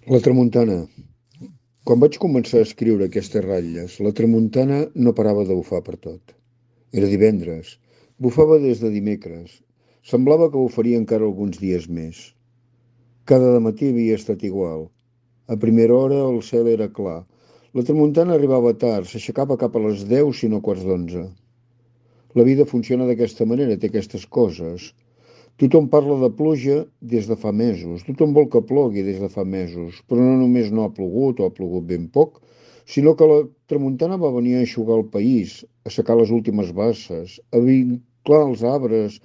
La tramuntana. Quan vaig començar a escriure aquestes ratlles, la tramuntana no parava de bufar pertot. Era divendres. Bufava des de dimecres. Semblava que bufaria encara alguns dies més. Cada dematí havia estat igual. A primera hora el cel era clar. La tramuntana arribava tard, s'aixecava cap a les 10 si no quarts d'11. La vida funciona d'aquesta manera, té aquestes coses. Tothom parla de pluja des de fa mesos, tothom vol que plogui des de fa mesos, però no només no ha plogut o ha plogut ben poc, sinó que la tramuntana va venir a eixugar el país, a secar les últimes basses, a vinclar els arbres,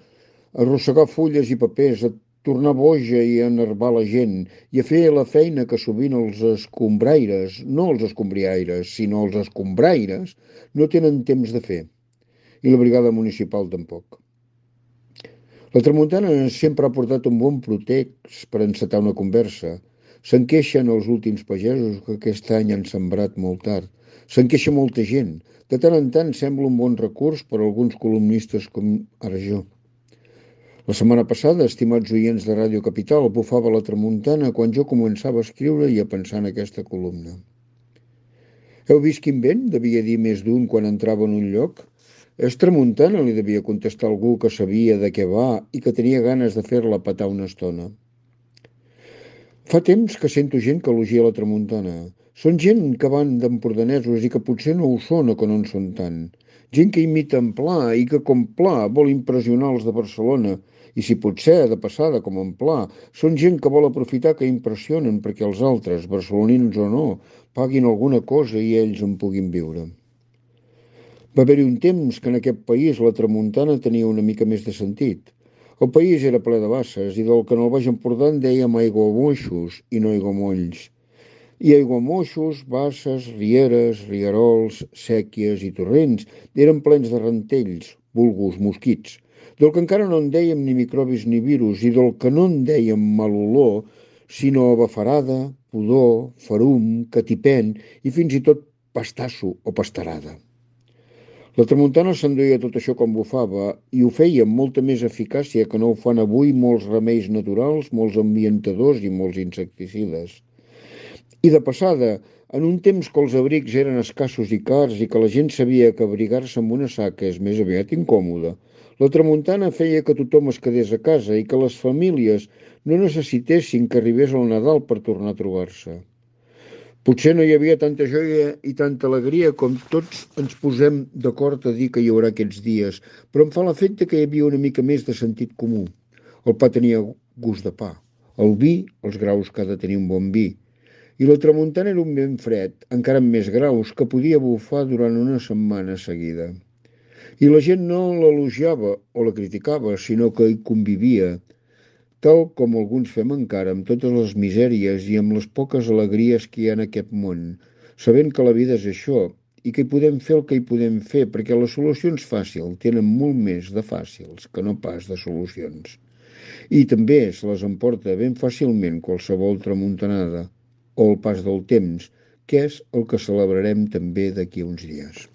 a arrossegar fulles i papers, a tornar boja i a enervar la gent, i a fer la feina que sovint els escombraires, no els escombriaires, sinó els escombraires, no tenen temps de fer, i la brigada municipal tampoc. La tramuntana sempre ha portat un bon pretext per encetar una conversa. Se'n queixen els últims pagesos que aquest any han sembrat molt tard. Se'n queixa molta gent. De tant en tant sembla un bon recurs per a alguns columnistes com ara jo. La setmana passada, estimats oients de Ràdio Capital, bufava la tramuntana quan jo començava a escriure i a pensar en aquesta columna. Heu vist quin vent? Devia dir més d'un quan entrava en un lloc. És tramuntana, li devia contestar algú que sabia de què va i que tenia ganes de fer-la petar una estona. Fa temps que sento gent que elogia la tramuntana. Són gent que van d'empordanesos i que potser no ho són o que no en són tant. Gent que imita en Pla i que, com Pla, vol impressionar els de Barcelona. I si potser, de passada, com en Pla, són gent que vol aprofitar que impressionen perquè els altres, barcelonins o no, paguin alguna cosa i ells en puguin viure. Va haver-hi un temps que en aquest país la tramuntana tenia una mica més de sentit. El país era ple de basses i del que en el Baix Empordà en dèiem aiguamoixos i no aiguamolls. I aiguamoixos, basses, rieres, rierols, sèquies i torrents eren plens de rantells, vulgus mosquits, del que encara no en dèiem ni microbis ni virus i del que no en dèiem mal olor, sinó bafarada, pudor, ferum, catipent i fins i tot pastasso o pastarada. La tramuntana s'enduia tot això com bufava i ho feia amb molta més eficàcia que no ho fan avui molts remeis naturals, molts ambientadors i molts insecticides. I de passada, en un temps que els abrics eren escassos i cars i que la gent sabia que abrigar-se amb una saca és més aviat incòmode, la tramuntana feia que tothom es quedés a casa i que les famílies no necessitessin que arribés el Nadal per tornar a trobar-se. Potser no hi havia tanta joia i tanta alegria com tots ens posem d'acord a dir que hi haurà aquests dies, però em fa l'efecte que hi havia una mica més de sentit comú. El pa tenia gust de pa, el vi, els graus que ha de tenir un bon vi, i la tramuntana era un vent fred, encara amb més graus, que podia bufar durant una setmana seguida. I la gent no l'elogiava o la criticava, sinó que hi convivia, tal com alguns fem encara amb totes les misèries i amb les poques alegries que hi ha en aquest món, sabent que la vida és això i que hi podem fer el que hi podem fer, perquè les solucions fàcils tenen molt més de fàcils que no pas de solucions. I també se les emporta ben fàcilment qualsevol tramuntanada o el pas del temps, que és el que celebrarem també d'aquí uns dies.